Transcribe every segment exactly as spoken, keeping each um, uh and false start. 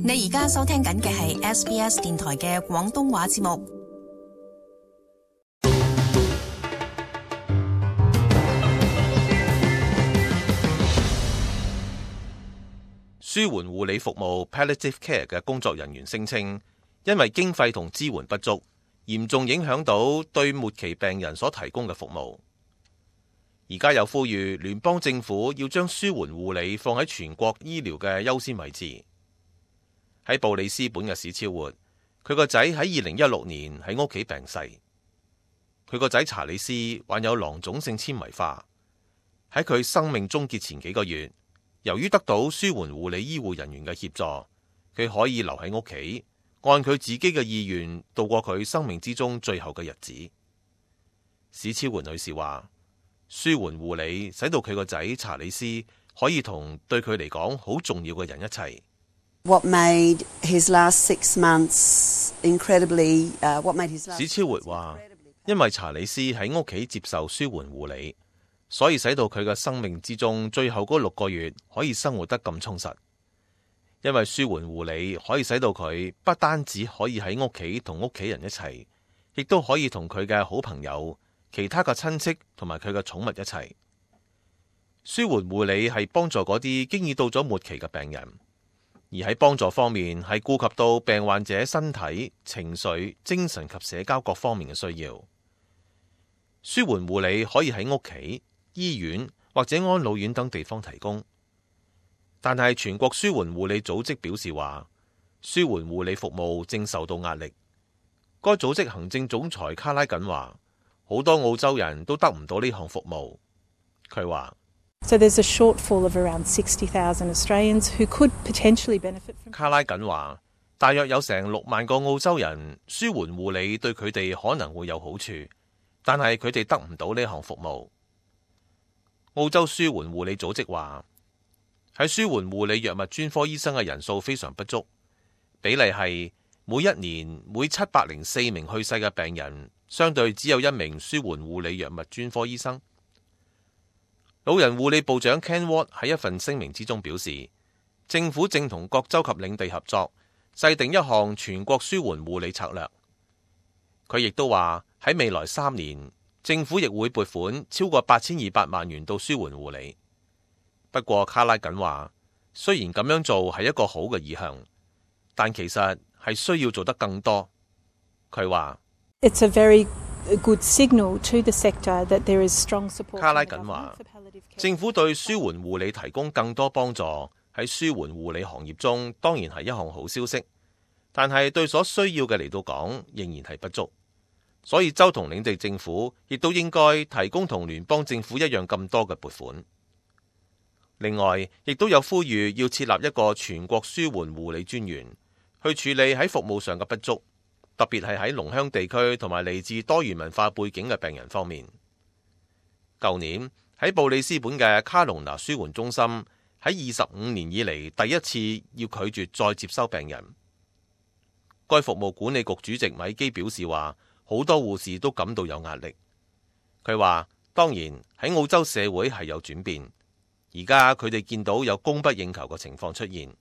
你而家收聽緊嘅係 S B S 電台嘅廣東話節目。舒緩護理服務 Palliative Care 嘅工作人員聲稱，因為經費同支援不足，嚴重影響到對末期病人所提供嘅服務。而家有呼籲聯邦政府要將舒緩護理放喺全國醫療嘅優先位置。喺布里斯本嘅史超活，佢個仔喺二零一六年喺屋企病逝。佢個仔查理斯患有囊腫性纖維化，喺佢生命終結前幾個月，由於得到舒緩護理醫護人員嘅協助，佢可以留喺屋企，按佢自己嘅意願度過佢生命之中最後嘅日子。史超活女士話，舒緩護理使到佢個仔查理斯可以同對佢嚟講好重要嘅人一齊。What made his last six months incredibly, uh, what made his last... 史超活話，因為查理斯喺屋企接受舒緩護理，所以使到佢嘅生命之中最後嗰六個月可以生活得咁充實。因為舒緩護理可以使到佢不單止可以喺屋企同屋企人一齊，亦都可以同佢嘅好朋友、其他嘅親戚同埋佢嘅寵物一齊。舒緩護理係幫助嗰啲經已到咗末期嘅病人，而喺幫助方面係顧及到病患者身體、情緒、精神及社交各方面嘅需要。舒緩護理可以喺屋企、醫院或者安老院等地方提供，但係全國舒緩護理組織表示話，舒緩護理服務正受到壓力。該組織行政總裁卡拉緊話，好多澳洲人都得唔到呢項服務。佢話So there's a shortfall of around sixty thousand Australians who could potentially benefit from... 卡拉緊話，大約有成六萬個澳洲人舒緩護理對佢哋可能會有好處，但係佢哋得唔到呢項服務。澳洲舒緩護理組織話，喺舒緩護理藥物專科醫生嘅人數非常不足，比例係每一年每七百零四名去世嘅病人，相對只有一名舒緩護理藥物專科醫生。老人護理部長 Ken Ward 喺一份聲明之中表示，政府正同各州及領地合作，制定一項全國舒緩護理策略。佢亦都話喺未來三年，政府亦會撥款超過八千二百萬元到舒緩護理。不過卡拉緊話，雖然咁樣做係一個好嘅意向，但其實係需要做得更多。佢話It's a very good signal to the sector that there is strong support. 卡拉緊話，政府對舒緩護理提供更多幫助，喺舒緩護理行業中當然係一項好消息，但係對所需要嘅嚟到講仍然係不足，所以州同領地政府亦都應該提供同聯邦政府一樣咁多嘅撥款。另外，亦都有呼籲要設立一個全國舒緩護理專員，去處理喺服務上嘅不足，特別係喺農鄉地區同埋嚟自多元文化背景嘅病人方面。舊年喺布里斯本嘅卡隆拿舒緩中心喺二十五年以嚟第一次要拒絕再接收病人。該服務管理局主席米基表示話，好多護士都感到有壓力。佢話，當然喺澳洲社會係有轉變，而家佢哋見到有供不應求嘅情況出現，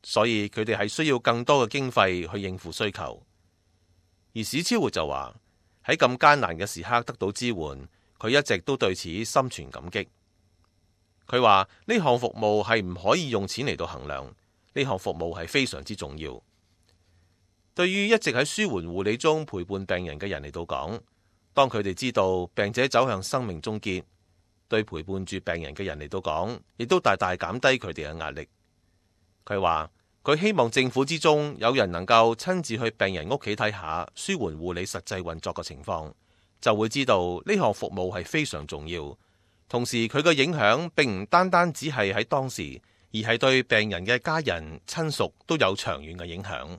所以佢哋係需要更多嘅經費去應付需求。而史超活就話，喺咁艱難嘅時刻得到支援，佢一直都對此心存感激。佢話呢項服務係唔可以用錢嚟到衡量，呢項服務係非常之重要。對於一直喺舒緩護理中陪伴病人嘅人嚟到講，當佢哋知道病者走向生命終結，對陪伴住病人嘅人嚟到講，亦都大大減低佢哋嘅壓力。佢話佢希望政府之中有人能夠親自去病人屋企睇下舒緩護理實際運作嘅情況，就會知道呢項服務係非常重要。同時佢嘅影響並唔單單只係喺當時，而係對病人嘅家人親屬都有長遠嘅影響。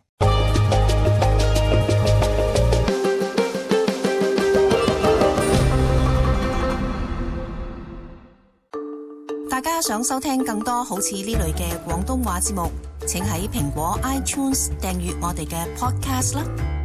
大家想收聽更多好似呢類嘅廣東話節目，請喺蘋果 iTunes 訂閱我哋嘅 podcast 啦。